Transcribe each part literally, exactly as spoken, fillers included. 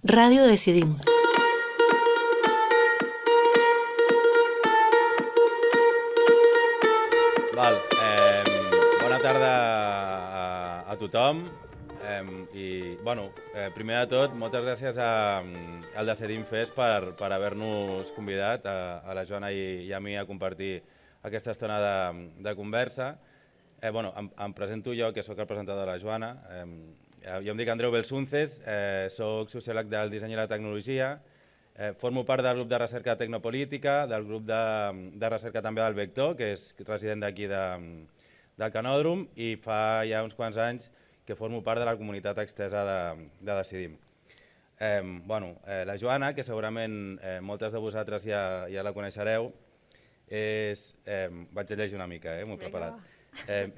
Ràdio Decidim. Val, eh, bona tarda a, a tothom eh, i, bueno, eh, primer de tot, moltes gràcies a, al Decidim Fest per, per haver-nos convidat a, a la Joana i, i a mi a compartir aquesta estona de, de conversa. Eh, bueno, em, em presento jo, que sóc el presentador de la Joana. Eh, jo em dic Andreu Belsunces, eh, soc sociòleg del disseny i la tecnologia, eh, formo part del grup de recerca tecnopolítica, del grup de, de recerca també del Vector, que és resident d'aquí de, del Canòdrom, i fa ja uns quants anys que formo part de la comunitat extesa de, de Decidim. Eh, bueno, eh, la Joana, que segurament eh, moltes de vosaltres ja, ja la coneixereu, és, eh, vaig a llegir una mica, eh, m'ho he preparat. Eh,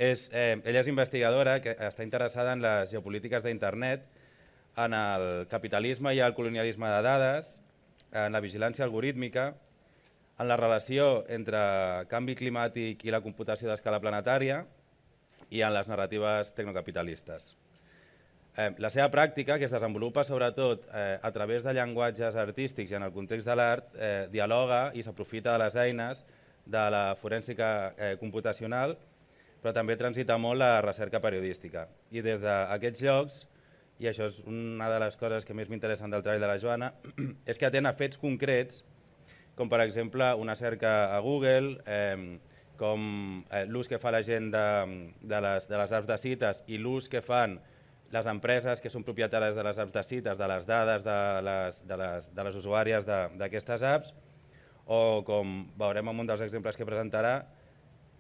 és, eh, ella és investigadora que està interessada en les geopolítiques d'internet, en el capitalisme i el colonialisme de dades, en la vigilància algorítmica, en la relació entre canvi climàtic i la computació d'escala planetària i en les narratives tecnocapitalistes. Eh, la seva pràctica, que es desenvolupa sobretot eh, a través de llenguatges artístics i en el context de l'art, eh, dialoga i s'aprofita de les eines de la forènsica eh, computacional, però també transita molt la recerca periodística. I des d'aquests llocs, i això és una de les coses que més m'interessen del treball de la Joana, és que atén a fets concrets, com per exemple una cerca a Google, eh, com eh, l'ús que fa la gent de, de, les, de les apps de cites i l'ús que fan les empreses que són propietàries de les apps de cites, de les dades de les, de les, de les usuàries d'aquestes apps, o com veurem en un dels exemples que presentarà,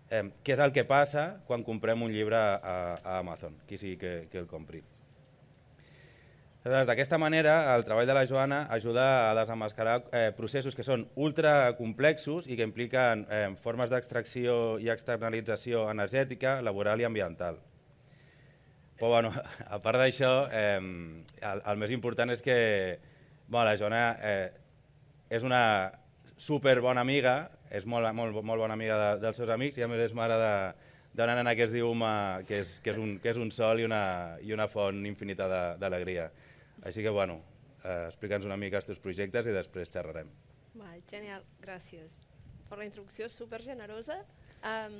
eh, què és el que passa quan comprem un llibre a, a Amazon, qui sigui que, que el compri. D'aquesta manera, el treball de la Joana ajuda a desemmascarar eh, processos que són ultracomplexos i que impliquen eh, formes d'extracció i externalització energètica, laboral i ambiental. Però, bueno, a part d'això, eh, el, el més important és que bueno, la Joana eh, és una super bona amiga, és molt, molt, molt bona amiga de, dels seus amics i a més és mare d'una nena que es diu Uma, que és, que és, un, que és un sol i una, i una font infinita d'alegria. Així que, bueno, eh, explica'ns una mica els teus projectes i després xerrarem. Va, genial, gràcies per la introducció super generosa. Um,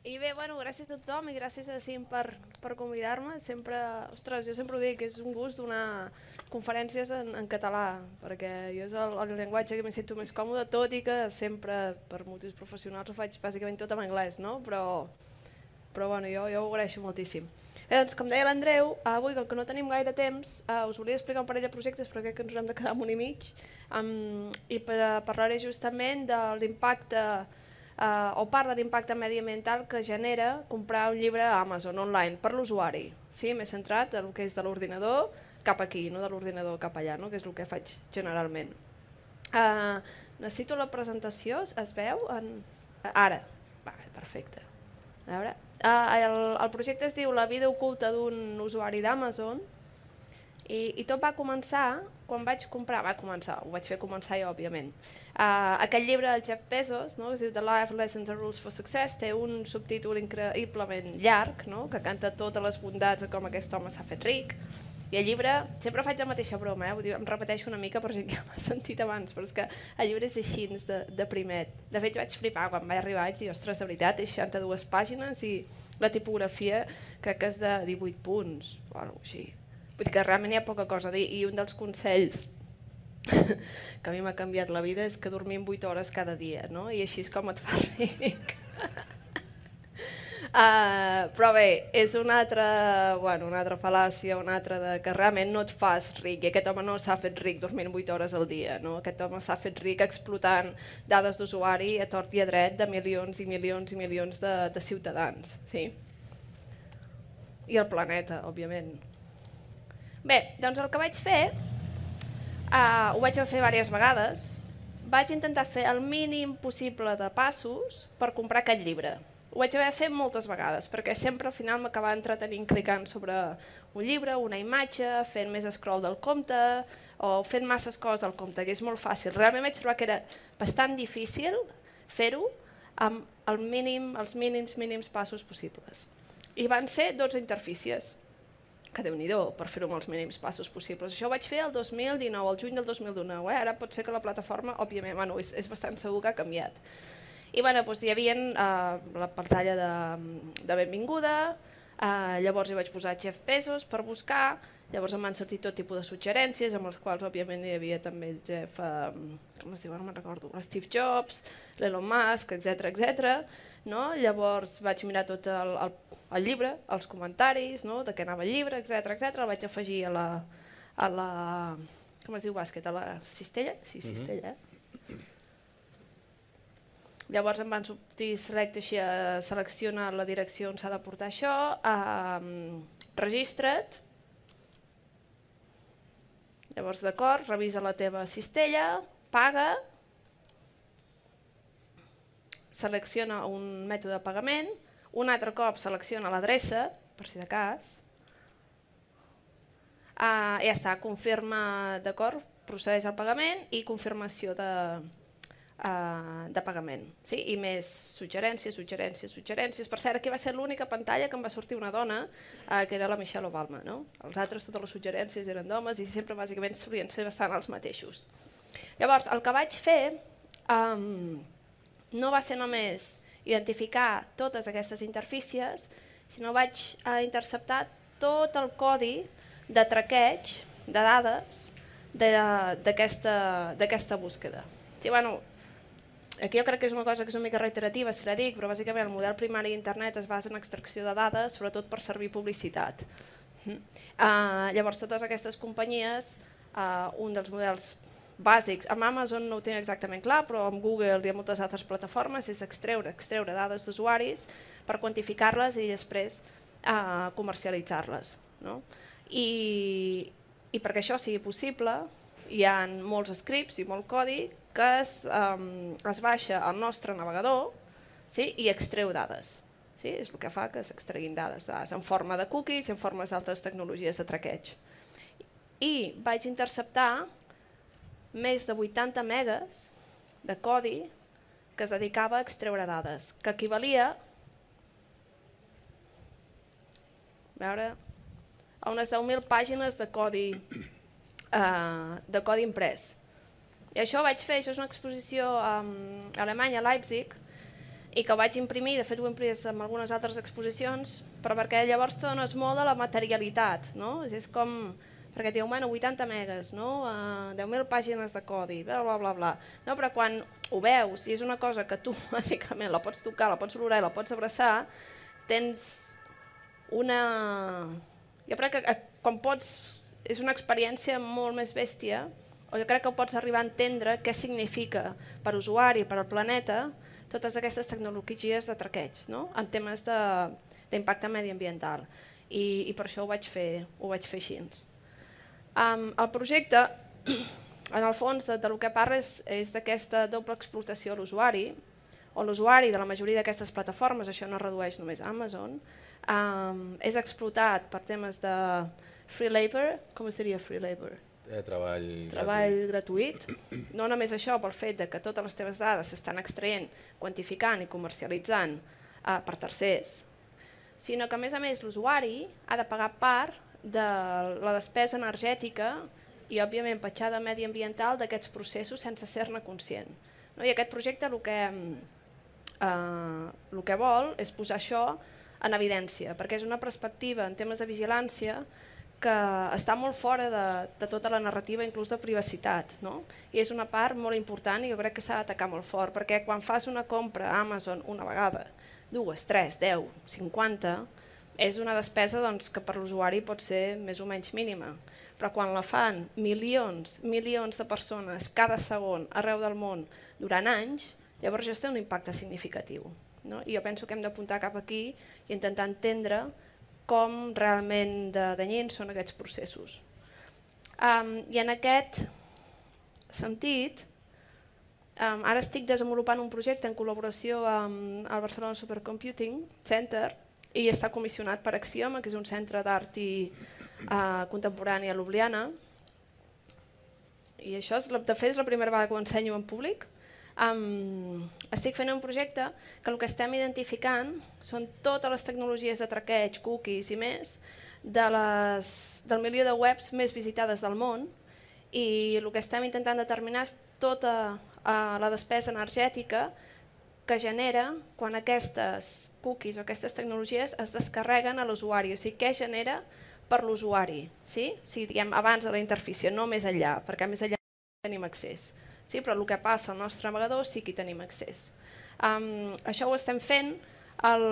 I bé, bueno, gràcies a tothom i gràcies a Cim per, per convidar-me. Sempre, ostres, jo sempre ho dic, és un gust donar conferències en, en català, perquè jo és el, el llenguatge que m'hi sento més còmode, tot i que sempre, per motius professionals, ho faig bàsicament tot en anglès, no? Però, però bueno, jo, jo ho agraeixo moltíssim. Bé, doncs, com deia l'Andreu, avui, com que no tenim gaire temps, uh, us volia explicar un parell de projectes, però crec que ens haurem de quedar en un i mig, um, i per, uh, parlaré justament de l'impacte Uh, o part de l'impacte mediambiental que genera comprar un llibre a Amazon online per l'usuari. Sí, m'he centrat en el que és de l'ordinador cap aquí, no de l'ordinador cap allà, no? Que és el que faig generalment. Uh, necessito la presentació, es veu? En... Ara, va, perfecte. A veure. Uh, el, el projecte es diu La vida oculta d'un usuari d'Amazon i, i tot va començar quan vaig comprar, va començar, ho vaig fer començar jo, òbviament. Uh, aquest llibre del Jeff Bezos, no, que es diu The Life Lessons and Rules for Success, té un subtítol increïblement llarg, no, que canta totes les bondats de com aquest home s'ha fet ric. I el llibre, sempre faig la mateixa broma, eh? Vull dir, em repeteixo una mica per gent que ja m'ha sentit abans, però és que el llibre és així, de, de primet. De fet, vaig flipar quan vaig arribar, vaig dir, ostres, de veritat, és seixanta-dues pàgines i la tipografia crec que és de divuit punts, o alguna cosa així. Vull dir que realment hi ha poca cosa a dir i un dels consells que a mi m'ha canviat la vida és que dormim vuit hores cada dia, no? I així és com et fa ric. uh, però bé, és una altra, bueno, una altra fal·làcia, una altra de que realment no et fas ric i aquest home no s'ha fet ric dormint vuit hores al dia, no? Aquest home s'ha fet ric explotant dades d'usuari a tort i a dret de milions i milions i milions de, de ciutadans, sí? I el planeta, òbviament. Bé, doncs el que vaig fer, uh, ho vaig fer diverses vegades, vaig intentar fer el mínim possible de passos per comprar aquest llibre. Ho vaig haver fet moltes vegades, perquè sempre al final m'acabava entretenint clicant sobre un llibre, una imatge, fent més scroll del compte, o fent masses coses del compte, que és molt fàcil. Realment vaig trobar que era bastant difícil fer-ho amb el mínim, els mínims mínims passos possibles. I van ser dotze interfícies. que Déu-n'hi-do, per fer-ho amb els mínims passos possibles. Això ho vaig fer el dos mil dinou, el juny del dos mil dinou, eh? Ara pot ser que la plataforma, òbviament, bueno, és, és bastant segur que ha canviat. I bueno, doncs hi havia eh, la pantalla de, de benvinguda, eh, llavors hi vaig posar Jeff Bezos per buscar, llavors em van sortir tot tipus de suggerències, amb les quals òbviament hi havia també el Jeff, eh, com es diu, no me'n recordo, Steve Jobs, l'Elon Musk, etcètera, etcètera. No? Llavors vaig mirar tot el, el, el llibre, els comentaris, no? De què anava el llibre, etcètera, etcètera. El vaig afegir a la, a la, com es diu bàsquet, a la cistella? Sí, cistella, eh? Llavors em van sortir select així a seleccionar la direcció on s'ha de portar això, um, registra't, llavors d'acord, revisa la teva cistella, paga, selecciona un mètode de pagament, un altre cop selecciona l'adreça, per si de cas, uh, ja està, confirma, d'acord, procedeix al pagament i confirmació de... Uh, de pagament, sí? I més suggerències, suggerències, suggerències. Per cert, aquí va ser l'única pantalla que em va sortir una dona, uh, que era la Michelle Obama, no? Els altres, totes les suggerències eren d'homes i sempre bàsicament solien ser bastant els mateixos. Llavors, el que vaig fer um, no va ser només identificar totes aquestes interfícies, sinó vaig uh, interceptar tot el codi de traqueig de dades d'aquesta búsqueda. Sí, bueno, aquí jo crec que és una cosa que és una mica reiterativa, si la dic, però bàsicament el model primari d'internet es basa en extracció de dades, sobretot per servir publicitat. Uh, llavors, totes aquestes companyies, uh, un dels models bàsics, amb Amazon no ho tinc exactament clar, però amb Google i amb moltes altres plataformes, és extreure, extreure dades d'usuaris per quantificar-les i després uh, comercialitzar-les. No? I, I perquè això sigui possible, hi ha molts scripts i molt codi que es, um, es baixa al nostre navegador, sí, i extreu dades. Sí? És el que fa que s'extreguin dades, dades en forma de cookies i en formes d'altres tecnologies de traqueig. I vaig interceptar més de vuitanta megas de codi que es dedicava a extreure dades, que equivalia a, veure, a unes deu mil pàgines de codi, uh, de codi imprès. I això ho vaig fer, això és una exposició um, a Alemanya, a Leipzig, i que vaig imprimir, de fet ho he imprès en algunes altres exposicions, però perquè llavors te dones molt de la materialitat, no? És com, perquè et diu, bueno, vuitanta megas, no? Uh, deu mil pàgines de codi, bla, bla, bla, bla. No, però quan ho veus, i és una cosa que tu, bàsicament, la pots tocar, la pots olorar i la pots abraçar, tens una... Jo crec que quan pots... És una experiència molt més bèstia, o jo crec que pots arribar a entendre què significa per usuari, per al planeta, totes aquestes tecnologies de traqueig, no? En temes d'impacte mediambiental. I, I per això ho vaig fer, ho vaig fer així. Um, el projecte, en el fons, de, de lo que parla és, és d'aquesta doble explotació a l'usuari, on l'usuari de la majoria d'aquestes plataformes, això no redueix només a Amazon, um, és explotat per temes de free labor, com es diria free labor? Eh, treball, treball gratuït. gratuït. No només això, pel fet de que totes les teves dades s'estan extraient, quantificant i comercialitzant eh, per tercers, sinó que a més a més l'usuari ha de pagar part de la despesa energètica i òbviament petjada mediambiental d'aquests processos sense ser-ne conscient. No? I aquest projecte el que, eh, el que vol és posar això en evidència, perquè és una perspectiva en temes de vigilància que està molt fora de, de tota la narrativa, inclús de privacitat, no? I és una part molt important i jo crec que s'ha d'atacar molt fort, perquè quan fas una compra a Amazon una vegada, dues, tres, deu, cinquanta, és una despesa doncs, que per l'usuari pot ser més o menys mínima, però quan la fan milions, milions de persones cada segon arreu del món durant anys, llavors ja té un impacte significatiu. No? I jo penso que hem d'apuntar cap aquí i intentar entendre com realment de danyins són aquests processos. Um, I en aquest sentit, um, ara estic desenvolupant un projecte en col·laboració amb el Barcelona Supercomputing Center i està comissionat per Axioma, que és un centre d'art i uh, contemporani a Ljubljana. I això, és, de fet, és la primera vegada que ho ensenyo en públic. Um, estic fent un projecte que el que estem identificant són totes les tecnologies de traqueig, cookies i més de les, del milió de webs més visitades del món i el que estem intentant determinar és tota uh, la despesa energètica que genera quan aquestes cookies o aquestes tecnologies es descarreguen a l'usuari, o sigui, què genera per l'usuari, sí? O sigui, diguem, abans de la interfície, no més enllà, perquè més enllà no tenim accés, sí? Però el que passa al nostre navegador sí que hi tenim accés. Um, això ho estem fent. El,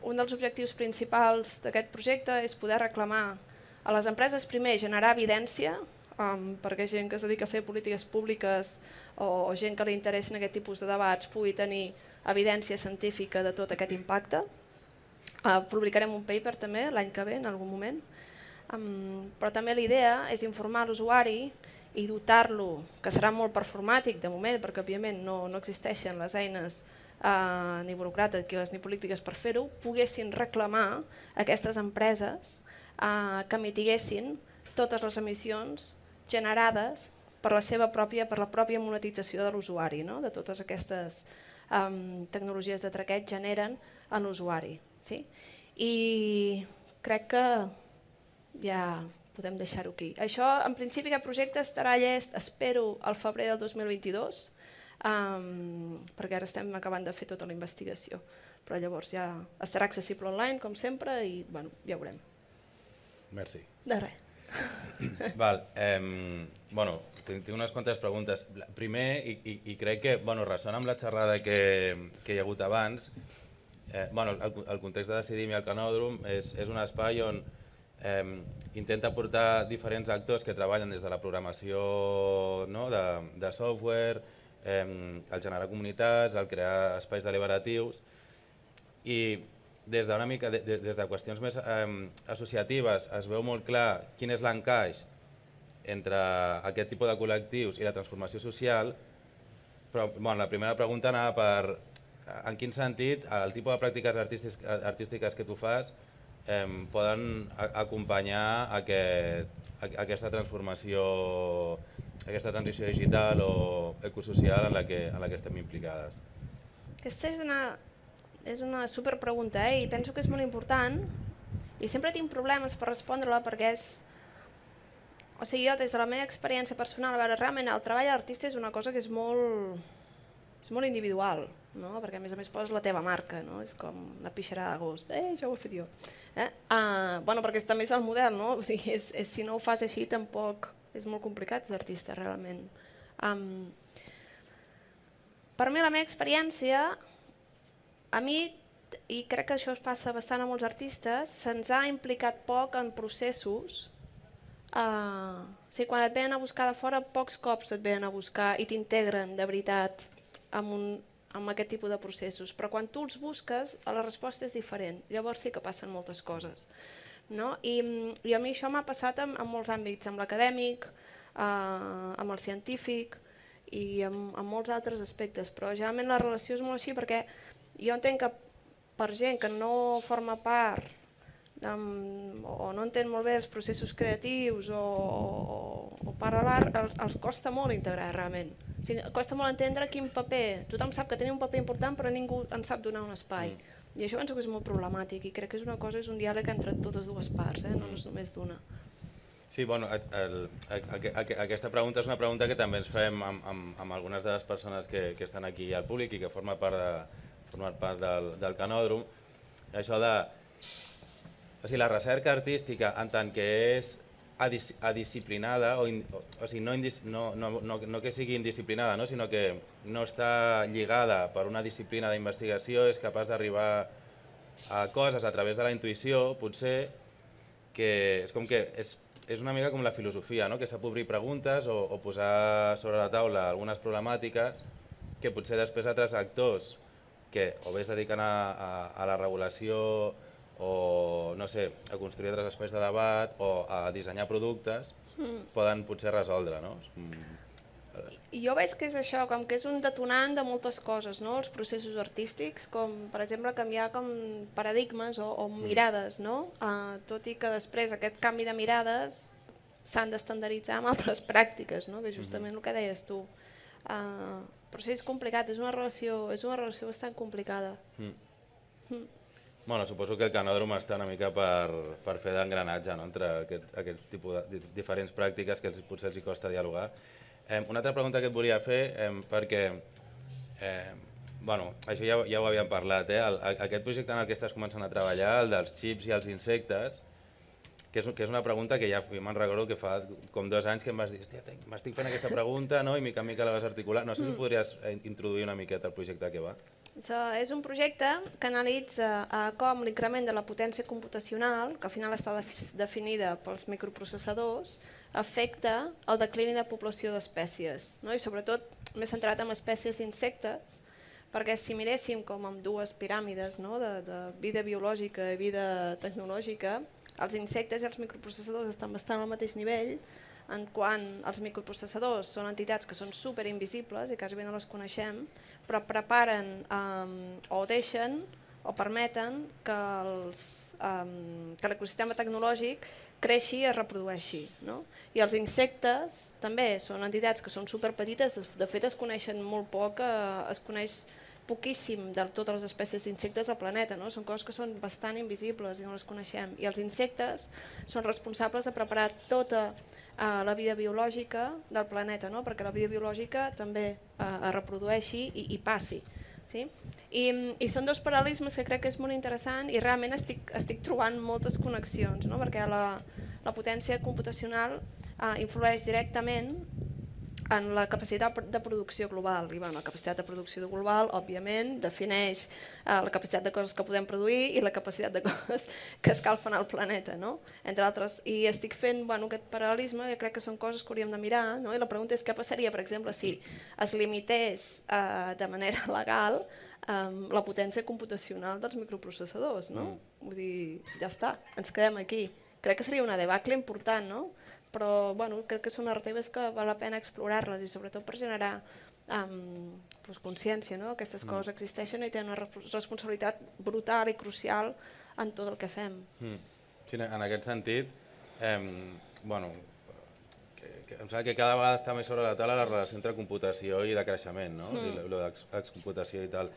un dels objectius principals d'aquest projecte és poder reclamar a les empreses, primer, generar evidència, um, perquè gent que es dedica a fer polítiques públiques o, o gent que li interessen aquest tipus de debats pugui tenir evidència científica de tot aquest impacte. Uh, publicarem un paper també l'any que ve, en algun moment. Um, però també la idea és informar l'usuari i dotar-lo, que serà molt performàtic de moment, perquè òbviament no, no existeixen les eines Uh, ni burocràtiques ni polítiques per fer-ho, poguessin reclamar a aquestes empreses uh, que mitiguessin totes les emissions generades per la seva pròpia, per la pròpia monetització de l'usuari, no? De totes aquestes um, tecnologies de traqueig generen en l'usuari. Sí? I crec que ja podem deixar-ho aquí. Això, en principi, aquest projecte estarà llest, espero, al febrer del dos mil vint-i-dos, Um, perquè ara estem acabant de fer tota la investigació, però llavors ja estarà accessible online com sempre i bueno, ja veurem. Merci. De res. Val, eh, bueno, tinc, tinc unes quantes preguntes. Primer, i, i, i crec que bueno, ressona amb la xerrada que, que hi ha hagut abans, eh, bueno, el, el context de Decidim i el Canòdrom és, és un espai on eh, intenta portar diferents actors que treballen des de la programació, no, de, de software, Eh, el generar comunitats, el crear espais deliberatius i des d'una mica de, de, des de qüestions més eh, associatives es veu molt clar quin és l'encaix entre aquest tipus de col·lectius i la transformació social, però bueno, la primera pregunta anava per en quin sentit el tipus de pràctiques artístiques, artístiques que tu fas eh, poden acompanyar aquest, aquesta transformació, aquesta transició digital o ecosocial en la que, en la que estem implicades. Aquesta és una, és una superpregunta, eh? I penso que és molt important i sempre tinc problemes per respondre-la perquè és... O sigui, jo des de la meva experiència personal, a veure, realment el treball d'artista és una cosa que és molt, és molt individual, no? Perquè a més a més poses la teva marca, no? És com una pixarada d'agost, eh, això ho he fet jo. Eh? Uh, bueno, perquè també és el model, no? O sigui, és, és, si no ho fas així tampoc... És molt complicat ser artista, realment. Um, per mi, la meva experiència, a mi, i crec que això es passa bastant a molts artistes, se'ns ha implicat poc en processos. Uh, o sigui, quan et venen a buscar de fora, pocs cops et venen a buscar i t'integren de veritat amb, un, amb aquest tipus de processos. Però quan tu els busques, la resposta és diferent. Llavors sí que passen moltes coses. No? I, I a mi això m'ha passat en, en molts àmbits, amb l'acadèmic, eh, amb el científic i amb, amb molts altres aspectes, però generalment la relació és molt així perquè jo entenc que per gent que no forma part amb, o no entén molt bé els processos creatius o, o, o part de l'art, els, els costa molt integrar realment. O sigui, costa molt entendre quin paper, tothom sap que tenim un paper important però ningú en sap donar un espai. Mm. I això penso que és molt problemàtic i crec que és una cosa, és un diàleg entre totes dues parts, eh? No és només d'una. Sí, bueno, el, el, el, aquesta pregunta és una pregunta que també ens fem amb, amb, amb algunes de les persones que, que estan aquí al públic i que formen part, de, formen part del, del Canòdrom. Això de... O sigui, la recerca artística, en tant que és adis, adisciplinada, o, in, o, o sigui, no, indis, no, no, no, no que sigui indisciplinada, no? Sinó que no està lligada per una disciplina d'investigació, és capaç d'arribar a coses a través de la intuïció, potser que és com que és, és una mica com la filosofia, no? Que sap obrir preguntes o, o posar sobre la taula algunes problemàtiques que potser després altres actors que o bé es dediquen a, a, a la regulació o no sé, a construir altres espais de debat o a dissenyar productes, mm. poden potser resoldre, no? I jo veig que és això, com que és un detonant de moltes coses, no? Els processos artístics, com per exemple canviar com paradigmes o, o mirades, no? Uh, tot i que després aquest canvi de mirades s'han d'estandarditzar amb altres pràctiques, no? Que justament mm-hmm. el que deies tu. Uh, però sí, és complicat, és una relació, és una relació bastant complicada. Mm. Mm. Bueno, suposo que el canòdrom està una mica per, per fer d'engranatge, no?, entre aquest, aquest tipus de diferents pràctiques que els, potser els hi costa dialogar. Eh, una altra pregunta que et volia fer, eh, perquè, eh, bueno, això ja, ja ho havíem parlat, eh? el, aquest projecte en el que estàs començant a treballar, el dels xips i els insectes, que és, que és una pregunta que ja me'n recordo que fa com dos anys que em vas dir, hòstia, m'estic fent aquesta pregunta, no?, i mica en mica la vas articular. No sé si podries introduir una miqueta el projecte que va. So, és un projecte que analitza uh, com l'increment de la potència computacional, que al final està definida pels microprocessadors, afecta el declini de població d'espècies, no? I sobretot m'he centrat en espècies d'insectes, perquè si miréssim com amb dues piràmides, no?, de, de vida biològica i vida tecnològica, els insectes i els microprocessadors estan bastant al mateix nivell, en quan els microprocessadors són entitats que són superinvisibles i quasi bé no les coneixem, però preparen um, o deixen o permeten que els, um, que l'ecosistema tecnològic creixi i es reprodueixi, no? I els insectes també són entitats que són superpetites, de fet es coneixen molt poc, eh, es coneix poquíssim de totes les espècies d'insectes al planeta, no? Són coses que són bastant invisibles i no les coneixem. I els insectes són responsables de preparar tota Uh, la vida biològica del planeta, no? Perquè la vida biològica també uh, es reprodueixi i, i passi. Sí? I, I són dos paral·lelismes que crec que és molt interessant i realment estic, estic trobant moltes connexions, no? Perquè la, la potència computacional uh, influeix directament en la capacitat de producció global. I bueno, la capacitat de producció global, òbviament, defineix uh, la capacitat de coses que podem produir i la capacitat de coses que escalfen el planeta, no? Entre altres. I estic fent bueno, aquest paral·lelisme, que crec que són coses que hauríem de mirar, no? I la pregunta és què passaria, per exemple, si es limités uh, de manera legal um, la potència computacional dels microprocessadors, no? Mm. Vull dir, ja està, ens quedem aquí. Crec que seria una debacle important, no? Però bueno, crec que són narratives que val la pena explorar-les i sobretot per generar um, pues, consciència, no? Aquestes mm. coses existeixen i tenen una responsabilitat brutal i crucial en tot el que fem. Mm. Sí, en aquest sentit, eh, bueno, que, que, em sembla que cada vegada està més sobre la taula la relació entre computació i de creixement, no? Mm. I l'excomputació i tal.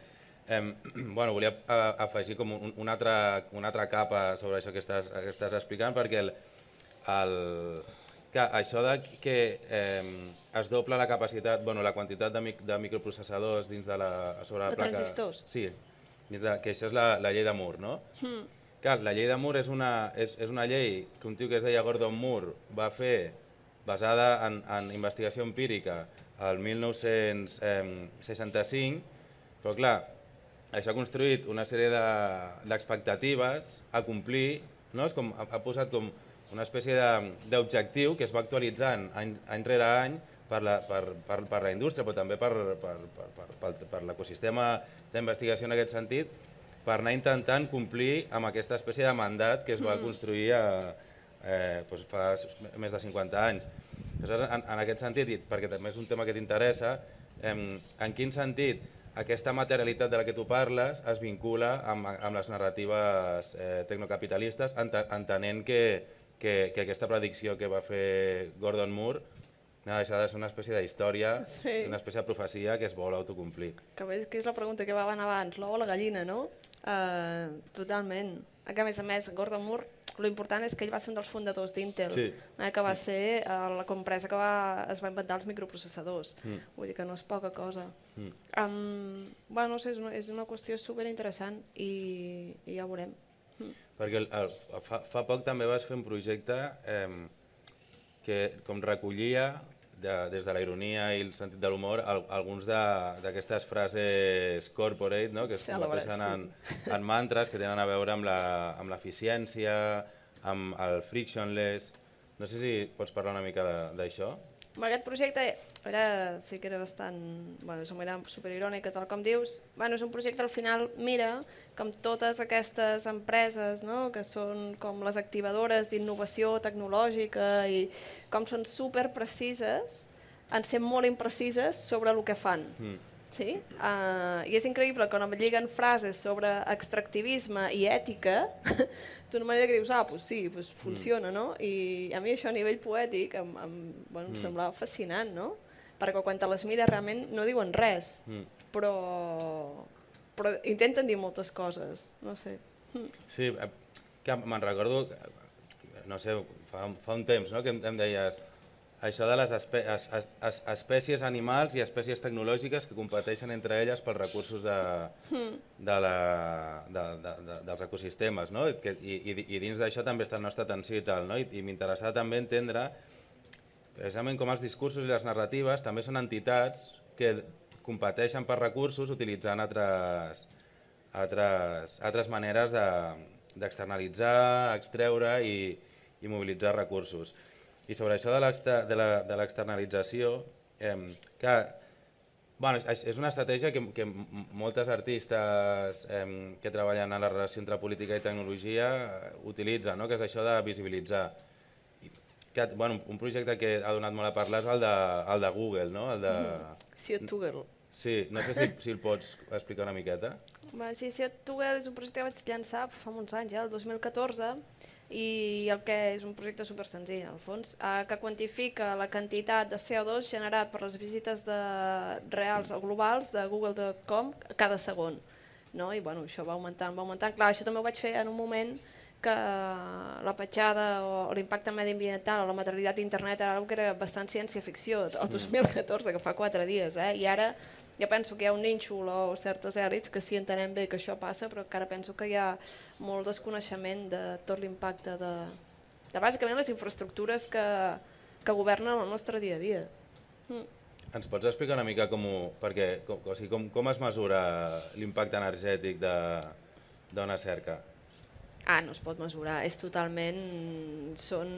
Eh, bueno, volia afegir com un, una, altra, una altra capa sobre això que estàs, que estàs explicant, perquè el, el, que això de que eh, es dobla la capacitat, bueno, la quantitat de, mic, de microprocessadors dins de la, sobre la de placa... transistors. Sí, dins de, que això és la, la llei de Moore, no? Mm. Clar, la llei de Moore és una, és, és una llei que un tio que es deia Gordon Moore va fer basada en, en investigació empírica el mil nou-cents seixanta-cinc, però clar, això ha construït una sèrie d'expectatives de, a complir, no? És com, ha, ha posat com una espècie d'objectiu que es va actualitzant any, any rere any per la, per, per, per la indústria, però també per, per, per, per, per, per l'ecosistema d'investigació en aquest sentit, per anar intentant complir amb aquesta espècie de mandat que es va construir a, eh, doncs fa més de cinquanta anys. Aleshores, en, en aquest sentit, perquè també és un tema que t'interessa, eh, en quin sentit aquesta materialitat de la que tu parles es vincula amb, amb les narratives eh, tecnocapitalistes, entenent que Que, que aquesta predicció que va fer Gordon Moore no deixa de ser una espècie d'història, sí. Una espècie de profecia que es vol autocomplir. Que és, que és la pregunta que va anar abans, l'ou o la gallina, no? Uh, totalment. Que a més a més, Gordon Moore, l'important és que ell va ser un dels fundadors d'Intel, sí. eh, que va ser uh, la empresa que va, es va inventar els microprocessadors. Mm. Vull dir que no és poca cosa. Mm. Um, bueno, no sé, és una, és una qüestió superinteressant i, i ja ho veurem. Perquè el, el, fa, fa poc també vas fer un projecte eh, que com recollia de, des de la ironia i el sentit de l'humor al, alguns d'aquestes frases corporate, no? Que es converteixen en, en mantres que tenen a veure amb l'eficiència, amb el frictionless. No sé si pots parlar una mica d'això. Aquest projecte era, sí que era bastant, bueno, era superirònic, tal com dius. Bueno, és un projecte al final, mira, com totes aquestes empreses, no? Que són com les activadores d'innovació tecnològica i com són superprecises en ser molt imprecises sobre el que fan. Mm. Sí? Uh, I és increïble que quan em lliguen frases sobre extractivisme i ètica d'una manera que dius, ah, doncs sí, pues funciona, mm. no? I a mi això a nivell poètic em, em, bueno, em mm. semblava fascinant, no? Perquè quan te les mires realment no diuen res, mm. però, però intenten dir moltes coses, no sé. Sí, que me'n recordo, no sé, fa, fa un temps, no?, que em, em deies això de les espe es, es, es, espècies animals i espècies tecnològiques que competeixen entre elles pels recursos de, de la, de, de, de, dels ecosistemes, no? I, que, i, i dins d'això també està la nostra atenció i tal, no? I, i m'interessava també entendre precisament com els discursos i les narratives també són entitats que competeixen per recursos utilitzant altres, altres, altres maneres d'externalitzar, extreure i, i mobilitzar recursos. I sobre això de l'externalització, eh, que bueno, és, és una estratègia que, que moltes artistes eh, que treballen en la relació entre política i tecnologia utilitzen, no? Que és això de visibilitzar. Que, bueno, un projecte que ha donat molt a parlar és el de, el de Google, no? El de... C O Google. Sí, no sé si, si el pots explicar una miqueta. Va, sí, C O Google és un projecte que vaig llançar fa uns anys, ja, el dos mil catorze, i el que és un projecte super senzill, al fons, eh, que quantifica la quantitat de C O dos generat per les visites de, reals o globals de google punt com cada segon. No? I bueno, això va augmentant, va augmentant. Clar, això també ho vaig fer en un moment que la petjada o l'impacte mediambiental o la materialitat d'internet era una que era bastant ciència-ficció, el dos mil catorze, que fa quatre dies, eh? I ara ja penso que hi ha un nínxol o certes èlits que sí entenem bé que això passa, però encara penso que hi ha molt desconeixement de tot l'impacte de, de bàsicament les infraestructures que, que governen el nostre dia a dia. Mm. Ens pots explicar una mica com ho... Perquè, com, o sigui, com, com es mesura l'impacte energètic d'una cerca? Ah, no es pot mesurar, és totalment... Són,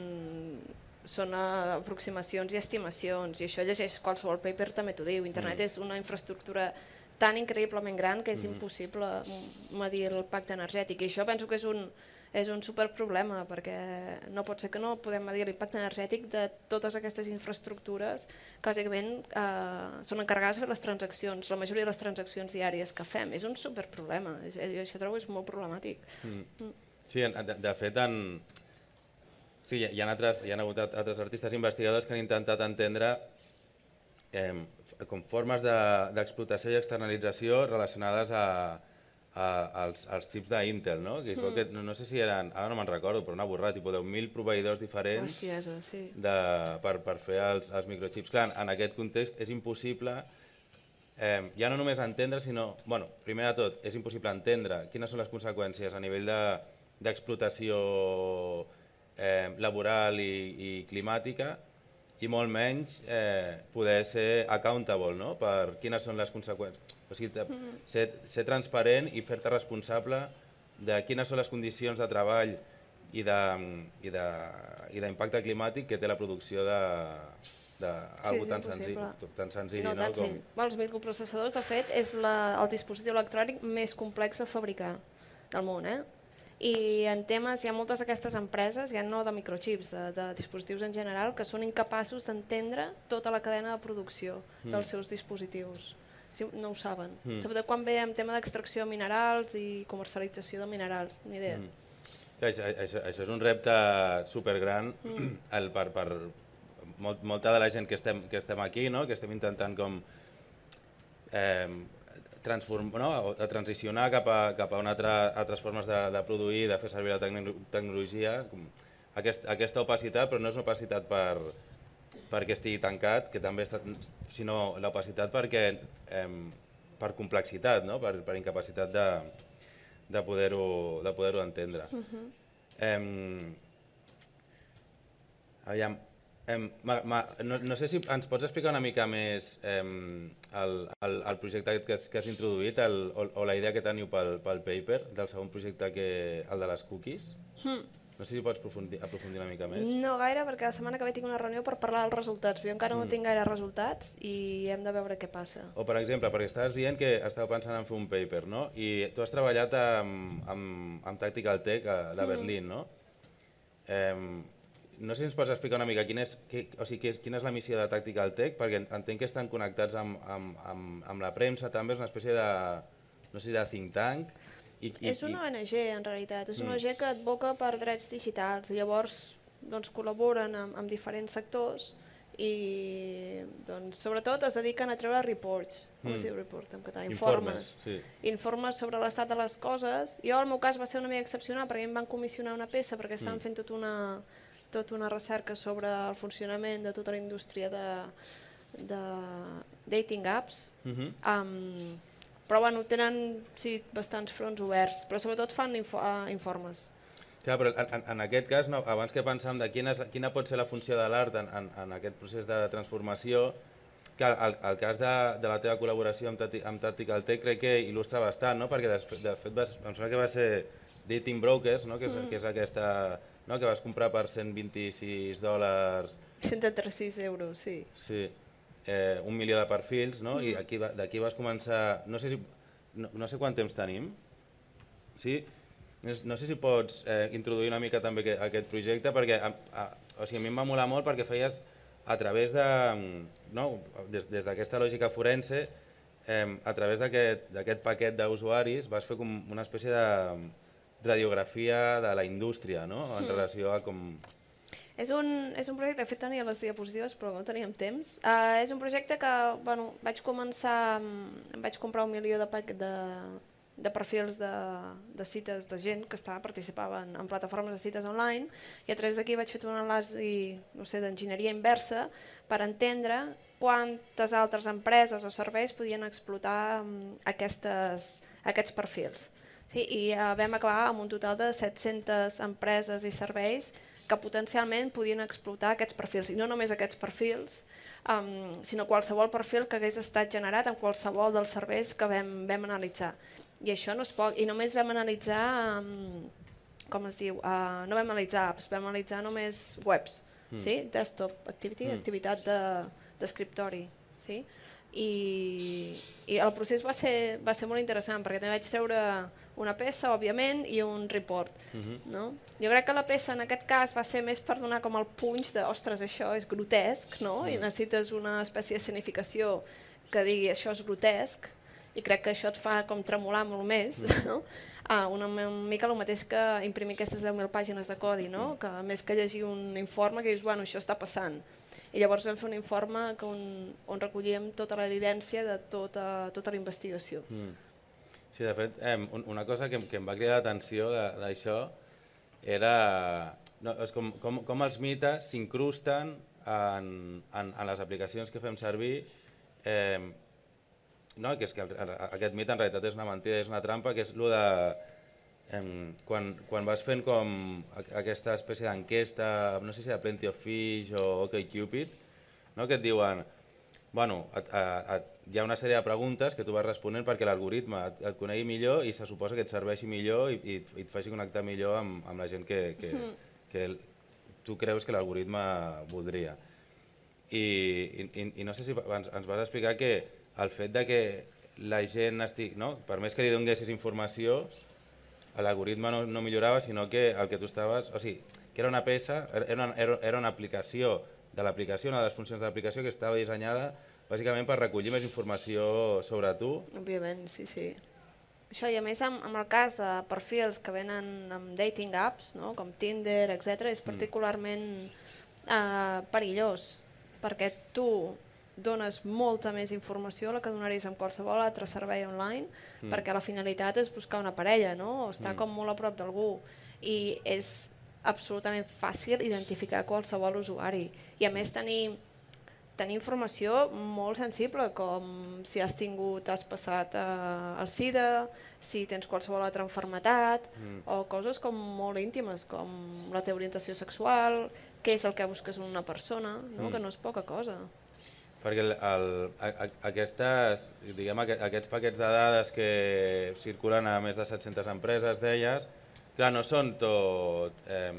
són aproximacions i estimacions, i això llegeix qualsevol paper també t'ho diu. Internet mm. és una infraestructura tan increïblement gran que és mm. impossible medir l'impacte energètic, i això penso que és un, és un superproblema, perquè no pot ser que no podem medir l'impacte energètic de totes aquestes infraestructures que bàsicament eh, són encarregades de fer les transaccions, la majoria de les transaccions diàries que fem. És un superproblema, és, això trobo és molt problemàtic. Mm. Mm. Sí, de, de fet, en... sí, hi, ha altres, hi ha hagut altres artistes investigadors que han intentat entendre eh, com formes d'explotació de, i externalització relacionades a, a, als, als xips d'Intel, no? Que, mm. que no, no sé si eren, ara no me'n recordo, però una borrada, tipus deu mil proveïdors diferents. Hostiesa, sí. de, per, per fer els, els microchips. Clar, en aquest context és impossible eh, ja no només entendre, sinó, bueno, primer de tot, és impossible entendre quines són les conseqüències a nivell d'explotació de, eh, laboral i, i climàtica, i molt menys eh, poder ser accountable, no? Per quines són les conseqüències. O sigui, ser, ser transparent i fer-te responsable de quines són les condicions de treball i d'impacte climàtic que té la producció d'alguna sí, tan, senzill, tan senzill. No, no tan senzill. Com... Els microprocessadors, de fet, és la, el dispositiu electrònic més complex de fabricar del món, eh? I en temes, hi ha moltes d'aquestes empreses, ja no de microchips, de, de dispositius en general, que són incapaços d'entendre tota la cadena de producció mm. dels seus dispositius. Sí, no ho saben. Mm. Sobretot quan ve en tema d'extracció de minerals i comercialització de minerals, ni idea. Mm. Això, això, això és un repte supergran mm. el, per, per molt, molta de la gent que estem, que estem aquí, no? Que estem intentant com... Eh, transform, no? a transicionar cap a, cap a una altra, altres formes de, de produir, de fer servir la tecnologia. Aquest, aquesta opacitat, però no és una opacitat per, perquè estigui tancat, que també està, sinó l'opacitat perquè eh, per complexitat, no? per, per incapacitat de, de poder-ho de poder-ho entendre. Uh-huh. eh, aviam, eh, ma, ma, no, no sé si ens pots explicar una mica més eh, el, el, el projecte que has, que has introduït el, o, o la idea que teniu pel, pel paper del segon projecte, que el de les cookies. Mm. No sé si pots aprofundir, aprofundir una mica més. No gaire, perquè la setmana que ve tinc una reunió per parlar dels resultats, però jo encara mm. no tinc gaire resultats i hem de veure què passa. O per exemple, perquè estaves dient que estàveu pensant en fer un paper, no? I tu has treballat amb, amb, amb Tactical Tech de Berlín, mm. no? Eh, No sé si ens pots explicar una mica quin és, que, o sigui, quina és la missió de Tactical Tech, perquè entenc que estan connectats amb, amb, amb, amb la premsa, també és una espècie de, no sé, de think tank. I, i, és una O N G, en realitat, és una mm. O N G que advoca per drets digitals, i llavors doncs, col·laboren amb, amb diferents sectors i doncs, sobretot es dediquen a treure reports, com mm. es diu report en català? Informes, Informes, sí. Informes sobre l'estat de les coses. Jo, al meu cas, va ser una mica excepcional perquè em van comissionar una peça perquè estaven mm. fent tota una, tot una recerca sobre el funcionament de tota la indústria de, de dating apps. Mm-hmm. um, però bueno, tenen sí, bastants fronts oberts, però sobretot fan info, uh, informes. Clar, però en, en aquest cas, no, abans que pensàvem de quina, quina pot ser la funció de l'art en, en, en aquest procés de transformació, que el, el cas de, de la teva col·laboració amb, Tati, amb Tactical Tech crec que il·lustra bastant, no? Perquè de, de fet vas, em sembla que va ser Dating Brokers, no? que, és, mm. que és aquesta, no? que vas comprar per cent vint-i-sis dòlars... cent trenta-sis euros, sí. Sí, eh, un milió de perfils, no? Mm. I d'aquí vas començar... No sé, si, no, no sé quant temps tenim, sí? No sé si pots eh, introduir una mica també aquest projecte, perquè a, a, o sigui, a mi em va molar molt perquè feies a través de, no, des, des d'aquesta lògica forense, eh, a través d'aquest paquet d'usuaris vas fer com una espècie de radiografia de la indústria, no? En mm. relació a com... És un, és un projecte, de fet tenia les diapositives però no teníem temps. Uh, és un projecte que bueno, vaig començar, em vaig comprar un milió de paquet de... de perfils de, de cites de gent que estava, participava en, en plataformes de cites online i a través d'aquí vaig fer una anàlisi no sé, d'enginyeria inversa per entendre quantes altres empreses o serveis podien explotar um, aquestes, aquests perfils. Sí, i uh, vam acabar amb un total de set-centes empreses i serveis que potencialment podien explotar aquests perfils, i no només aquests perfils, um, sinó qualsevol perfil que hagués estat generat en qualsevol dels serveis que vam, vam analitzar. I això no és poc, i només vam analitzar, um, com es diu, uh, no vam analitzar apps, vam analitzar només webs, mm. sí? Desktop activity, mm. activitat d'escriptori, de, sí? I, i el procés va ser, va ser molt interessant perquè també vaig treure una peça, òbviament, i un report. Mm-hmm. No? Jo crec que la peça en aquest cas va ser més per donar com el punx de ostres, això és grotesc, no? Mm. I necessites una espècie de escenificació que digui això és grotesc, i crec que això et fa com tremolar molt més, mm. no? Ah, una mica el mateix que imprimir aquestes deu mil pàgines de codi, no? Que més que llegir un informe que dius, bueno, això està passant. I llavors vam fer un informe que on, on recollíem tota l'evidència de tota, tota la investigació. Mm. Sí, de fet, eh, una cosa que, que em va cridar l'atenció d'això era no, és com, com, com els mites s'incrusten en, en, en les aplicacions que fem servir, eh, no, que és que aquest mit en realitat és una mentida, és una trampa, que és el de... Eh, quan, quan vas fent com aquesta espècie d'enquesta, no sé si de Plenty of Fish o OkCupid, no, que et diuen, bueno, et, et, hi ha una sèrie de preguntes que tu vas responent perquè l'algoritme et, et conegui millor i se suposa que et serveixi millor i, i, i et faci connectar millor amb, amb la gent que, que, que tu creus que l'algoritme voldria. I, i, i no sé si ens, ens vas explicar que el fet de que la gent estigui, no? Per més que li donessis informació, l'algoritme no, no millorava, sinó que el que tu estaves... O sigui, que era una peça, era una, era una aplicació de l'aplicació, una de les funcions de l'aplicació que estava dissenyada bàsicament per recollir més informació sobre tu. Òbviament, sí, sí. Això, i a més, amb, amb el cas de perfils que venen amb dating apps, no? Com Tinder, etcètera, és particularment eh, perillós, perquè tu dones molta més informació a la que donaries amb qualsevol altre servei online, mm. perquè la finalitat és buscar una parella, no? O estar mm. com molt a prop d'algú, i és absolutament fàcil identificar qualsevol usuari, i a més tenir, tenir informació molt sensible, com si has tingut, has passat eh, el SIDA, si tens qualsevol altra malaltia, mm. o coses com molt íntimes, com la teva orientació sexual, què és el que busques en una persona, no? Mm. Que no és poca cosa. Perquè el, el, aquestes, diguem, aquests paquets de dades que circulen a més de set-centes empreses, deies, clar, no són tot eh,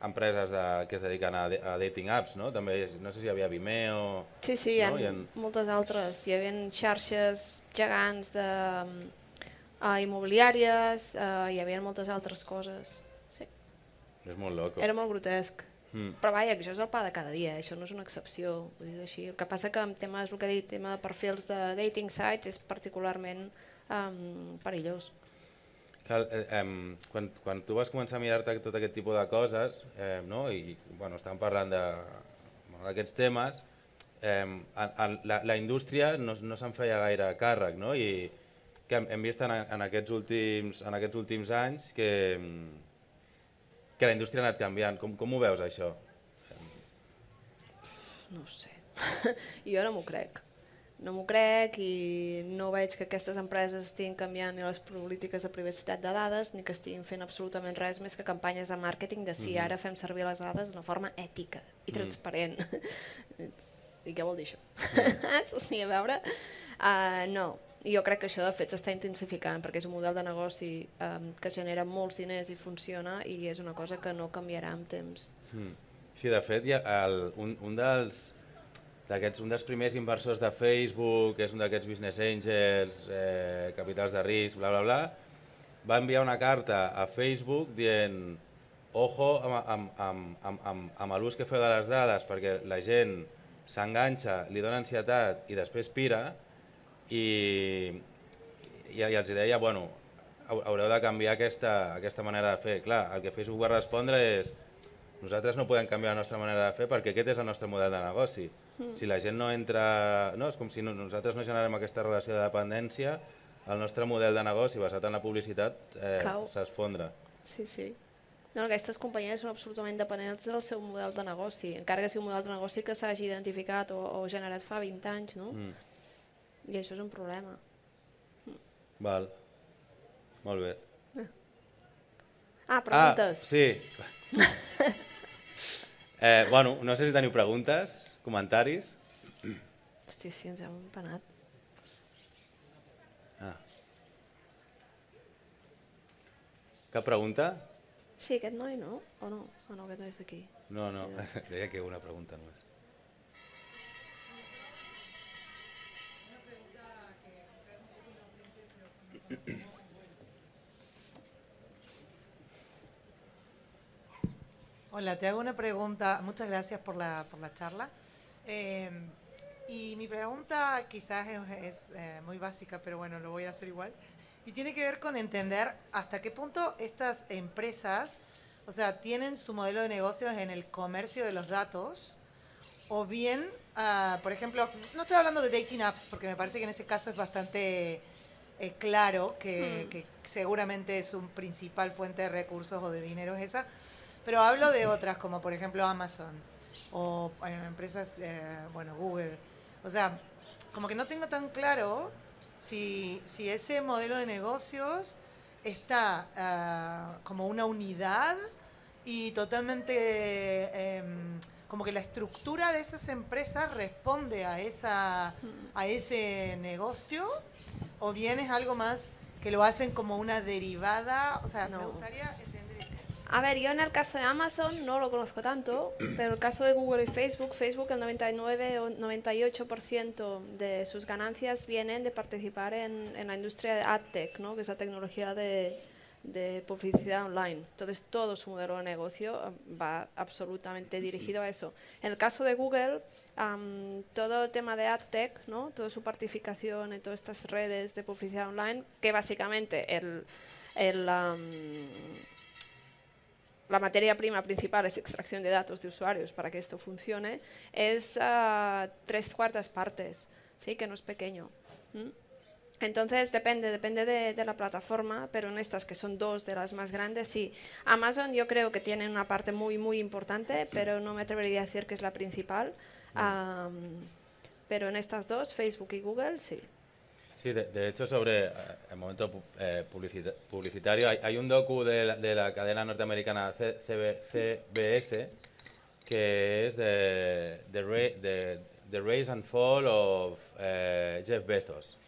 empreses de, que es dediquen a, a dating apps, no? També, no sé si hi havia Vimeo... Sí, sí, no? Hi ha moltes altres. Hi havia xarxes gegants de, uh, immobiliàries, uh, hi havia moltes altres coses. Sí. És molt loco. Era molt grotesc. Mm. Però vaja, això és el pa de cada dia, eh? Això no és una excepció, vull dir així. El que passa que en temes, el que he dit, tema de perfils de dating sites és particularment um, perillós. Cal, eh, eh, quan, quan tu vas començar a mirar-te tot aquest tipus de coses, eh, no? I bueno, estàvem parlant de d'aquests temes, eh, en, en la, la indústria no, no se'n feia gaire càrrec, no? I que hem, hem vist en, en, aquests últims, en aquests últims anys que, que la indústria ha anat canviant. Com, com ho veus, això? No ho sé. Jo no m'ho crec. No m'ho crec i no veig que aquestes empreses estiguin canviant ni les polítiques de privacitat de dades ni que estiguin fent absolutament res més que campanyes de màrqueting de si mm-hmm. ara fem servir les dades d'una forma ètica i transparent. Mm. I què vol dir això? Mm. O sigui, a veure... Uh, no, jo crec que això de fet s'està intensificant perquè és un model de negoci um, que genera molts diners i funciona i és una cosa que no canviarà amb temps. Mm. Sí, de fet, hi ha el, un, un dels... D'aquests, un dels primers inversors de Facebook, que és un d'aquests business angels, eh, capitals de risc, bla, bla, bla, va enviar una carta a Facebook dient ojo amb, amb, amb, amb, amb, amb l'ús que feu de les dades perquè la gent s'enganxa, li dona ansietat i després pira i, i, i els deia, bueno, haureu de canviar aquesta, aquesta manera de fer. Clar, el que Facebook va respondre és nosaltres no podem canviar la nostra manera de fer perquè aquest és el nostre model de negoci. Si la gent no entra... No, és com si no, nosaltres no generem aquesta relació de dependència, el nostre model de negoci basat en la publicitat eh, s'esfondra. Sí, sí. No, aquestes companyies són absolutament dependents del seu model de negoci, encara que sigui un model de negoci que s'hagi identificat o, o generat fa vint anys, no? Mm. I això és un problema. Mm. Val. Molt bé. Eh. Ah, preguntes. Ah, sí. eh, bueno, no sé si teniu preguntes. Comentaris? Hòstia, sí, ens hem empanat. Ah. Cap pregunta? Sí, aquest noi no? O no? O no, aquest noi és d'aquí. No, no, deia que una pregunta només. Hola, te hago una pregunta. Muchas gracias por la, por la charla. Eh, y mi pregunta quizás es, es eh, muy básica, pero bueno, lo voy a hacer igual. Y tiene que ver con entender hasta qué punto estas empresas, o sea, tienen su modelo de negocios en el comercio de los datos, o bien, uh, por ejemplo, no estoy hablando de dating apps, porque me parece que en ese caso es bastante eh, claro que, hmm. que seguramente es un principal fuente de recursos o de dinero es esa, pero hablo de otras, como por ejemplo Amazon, o eh, empresas, eh, bueno, Google. O sea, como que no tengo tan claro si, si ese modelo de negocios está uh, como una unidad y totalmente, eh, como que la estructura de esas empresas responde a, esa, a ese negocio, o bien es algo más que lo hacen como una derivada. O sea, no. Me gustaría... A ver, yo en el caso de Amazon no lo conozco tanto, pero en el caso de Google y Facebook, Facebook el noventa y nueve o noventa y ocho por ciento de sus ganancias vienen de participar en, en la industria de AdTech, ¿no? Que es la tecnología de, de publicidad online. Entonces todo su modelo de negocio va absolutamente dirigido a eso. En el caso de Google, um, todo el tema de AdTech, ¿no? Toda su participación en todas estas redes de publicidad online, que básicamente el... el um, la materia prima principal es extracción de datos de usuarios para que esto funcione, es uh, tres cuartas partes, ¿sí? Que no es pequeño. ¿Mm? Entonces depende, depende de, de la plataforma, pero en estas que son dos de las más grandes, sí. Amazon yo creo que tiene una parte muy, muy importante, pero no me atrevería a decir que es la principal. Um, pero en estas dos, Facebook y Google, sí. Sí, de, de hecho, sobre eh, el momento eh, publicita publicitario, hay, hay un docu de la, de la cadena norteamericana C B S que es de The, the Rise and Fall of eh, Jeff Bezos,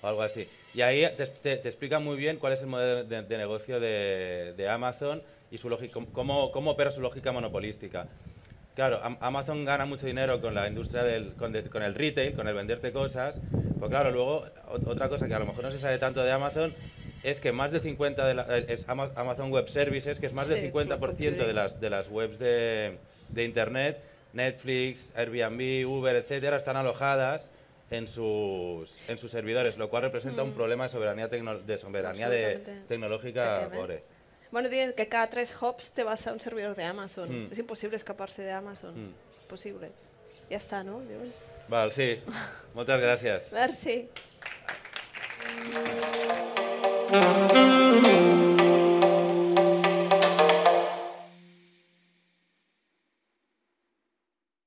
o algo así. Y ahí te, te, te explica muy bien cuál es el modelo de, de negocio de, de Amazon y su lógica, cómo, cómo opera su lógica monopolística. Claro, Amazon gana mucho dinero con la industria del con, de, con el retail, con el venderte cosas. Pues claro, luego otra cosa que a lo mejor no se sabe tanto de Amazon es que más del cincuenta de la, es Amazon Web Services, que es más del sí, cincuenta por ciento de las de las webs de, de internet, Netflix, Airbnb, Uber, etcétera, están alojadas en sus en sus servidores, lo cual representa mm. un problema de soberanía tecno, de soberanía de, tecnológica gore. Bueno, dicen que cada tres hops te vas a un servidor de Amazon. Mm. Es imposible escaparse de Amazon. Mm. Posible. ja està, no? Diuen. Val, sí. Moltes gràcies. Merci.